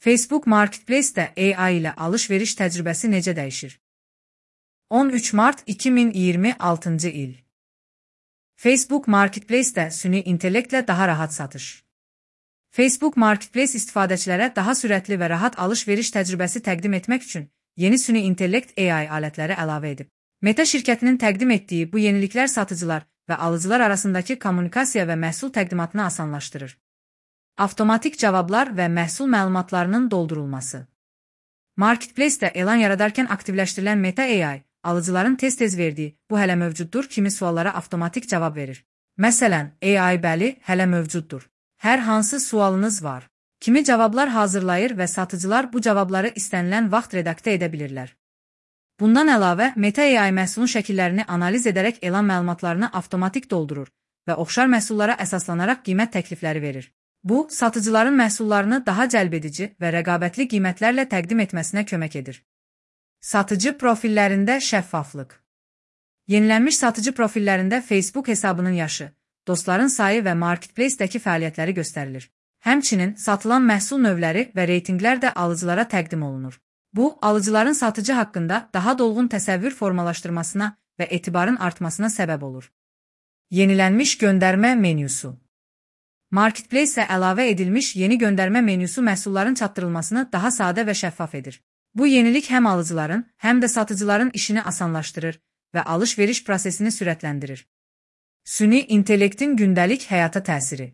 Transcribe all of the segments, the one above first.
Facebook Marketplace'də AI ilə alış-veriş təcrübəsi necə dəyişir? 13 mart 2026-cı il. Facebook Marketplace'də süni intellektlə daha rahat satış. Facebook Marketplace istifadəçilərə daha sürətli və rahat alış-veriş təcrübəsi təqdim etmək üçün yeni süni intellekt AI alətləri əlavə edib. Meta şirkətinin təqdim etdiyi bu yeniliklər satıcılar və alıcılar arasındakı kommunikasiya və məhsul təqdimatını asanlaşdırır. Avtomatik cavablar və məhsul məlumatlarının doldurulması. Marketplace'də elan yaradarkən aktivləşdirilən Meta AI, alıcıların tez-tez verdiyi "bu hələ mövcuddur" kimi suallara avtomatik cavab verir. Məsələn, AI bəli, hələ mövcuddur. Hər hansı sualınız var? Kimi cavablar hazırlayır və satıcılar bu cavabları istənilən vaxt redaktə edə bilirlər. Bundan əlavə, Meta AI məhsulun şəkillərini analiz edərək elan məlumatlarını avtomatik doldurur və oxşar məhsullara əsaslanaraq qiymət təklifləri verir. Bu, satıcıların məhsullarını daha cəlbedici və rəqabətli qiymətlərlə təqdim etməsinə kömək edir. Satıcı profillərində şəffaflıq. Yenilənmiş satıcı profillərində Facebook hesabının yaşı, dostların sayı və Marketplace-dəki fəaliyyətləri göstərilir. Həmçinin, satılan məhsul növləri və reytinqlər də alıcılara təqdim olunur. Bu, alıcıların satıcı haqqında daha dolğun təsəvvür formalaşdırmasına və etibarın artmasına səbəb olur. Yenilənmiş göndərmə menyusu. Marketplace-ə əlavə edilmiş yeni göndərmə menyusu məhsulların çatdırılmasını daha sadə və şəffaf edir. Bu yenilik həm alıcıların, həm də satıcıların işini asanlaşdırır və alış-veriş prosesini sürətləndirir. Süni intellektin gündəlik həyata təsiri.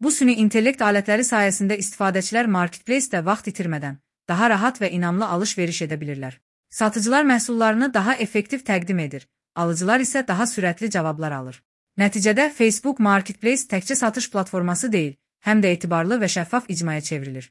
Bu süni intellekt alətləri sayəsində istifadəçilər Marketplace-də vaxt itirmədən daha rahat və inamlı alış-veriş edə bilirlər. Satıcılar məhsullarını daha effektiv təqdim edir, alıcılar isə daha sürətli cavablar alır. Nəticədə Facebook Marketplace təkcə satış platforması deyil, həm də etibarlı və şəffaf icmaya çevrilir.